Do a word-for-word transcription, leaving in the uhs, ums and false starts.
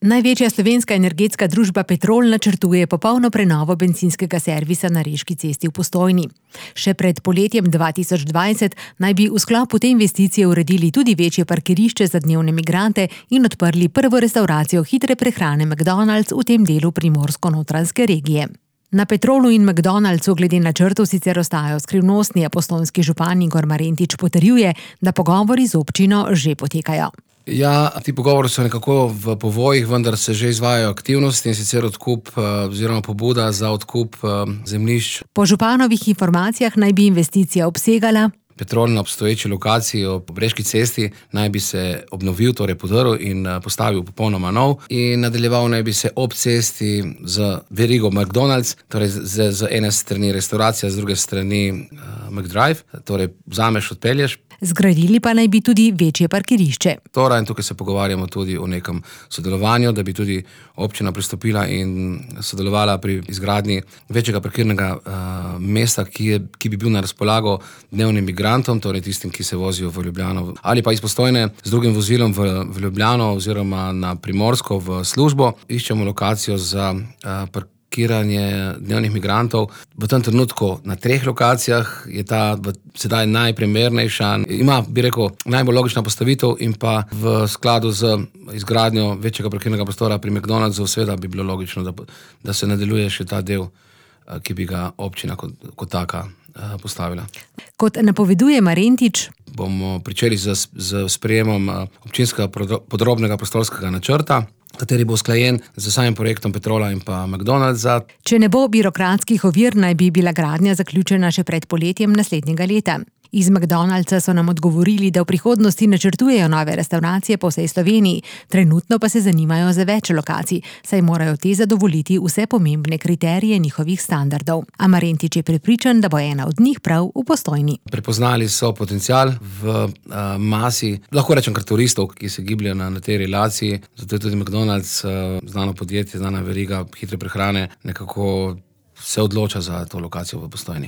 Največja slovenska energetska družba Petrol načrtuje popolno prenovo bencinskega servisa na Reški cesti v Postojni. Še pred poletjem dva tisoč dvajset naj bi v sklopu te investicije uredili tudi večje parkirišče za dnevne migrante in odprli prvo restavracijo hitre prehrane McDonald's v tem delu primorsko-notranjske regije. Na Petrolu in McDonald'su glede načrtov sicer ostajajo skrivnostni, a postojnski župan Igor Marentič potrjuje, da pogovori z občino že potekajo. Ja, ti pogovori so nekako v povojih, vendar se že izvajajo aktivnosti, in sicer odkup oziroma pobuda za odkup zemljišč. Po županovih informacijah naj bi investicija obsegala: Petrol na obstoječi lokaciji ob Reški cesti naj bi se obnovil, torej podrl in postavil popolnoma nov, in nadaljeval naj bi se ob cesti z verigo McDonald's, torej z, z ene strani restauracija, z druge strani uh, McDrive, torej vzameš, odpelješ. Zgradili pa naj bi tudi večje parkirišče. Torej, in tukaj se pogovarjamo tudi o nekem sodelovanju, da bi tudi občina pristopila in sodelovala pri izgradnji večjega parkirnega uh, mesta, ki, je, ki bi bil na razpolago dnevnim migrantom, torej tistim, ki se vozijo v Ljubljano ali pa iz Postojne z drugim vozilom v, v Ljubljano oziroma na Primorsko v službo. Iščemo lokacijo za uh, parkiranje dnevnih migrantov. V tem trenutku na treh lokacijah je ta sedaj najprimernejša. Ima, bi rekel, najbolj logična postavitev, in pa v skladu z izgradnjo večjega parkirnega prostora pri McDonald'su seveda bi bilo logično, da, da se nadaljuje še ta del, ki bi ga občina kot, kot taka postavila. Kot napoveduje Marentič, bomo pričeli z, z sprejemom občinskega podrobnega prostorskega načrta, kateri bo usklajen z samim projektom Petrola in pa McDonald'sa. Če ne bo birokratskih ovir, naj bi bila gradnja zaključena še pred poletjem naslednjega leta. Iz McDonald'sa so nam odgovorili, da v prihodnosti načrtujejo nove restavracije po vsej Sloveniji, trenutno pa se zanimajo za več lokacij, saj morajo te zadovoljiti vse pomembne kriterije njihovih standardov. A Marentič je prepričan, da bo ena od njih prav v Postojni. Prepoznali so potencial v uh, masi, lahko rečem kar turistov, ki se gibljajo na, na tej relaciji, zato je tudi McDonald's, uh, znano podjetje, znana veriga hitre prehrane, nekako se odloča za to lokacijo v Postojni.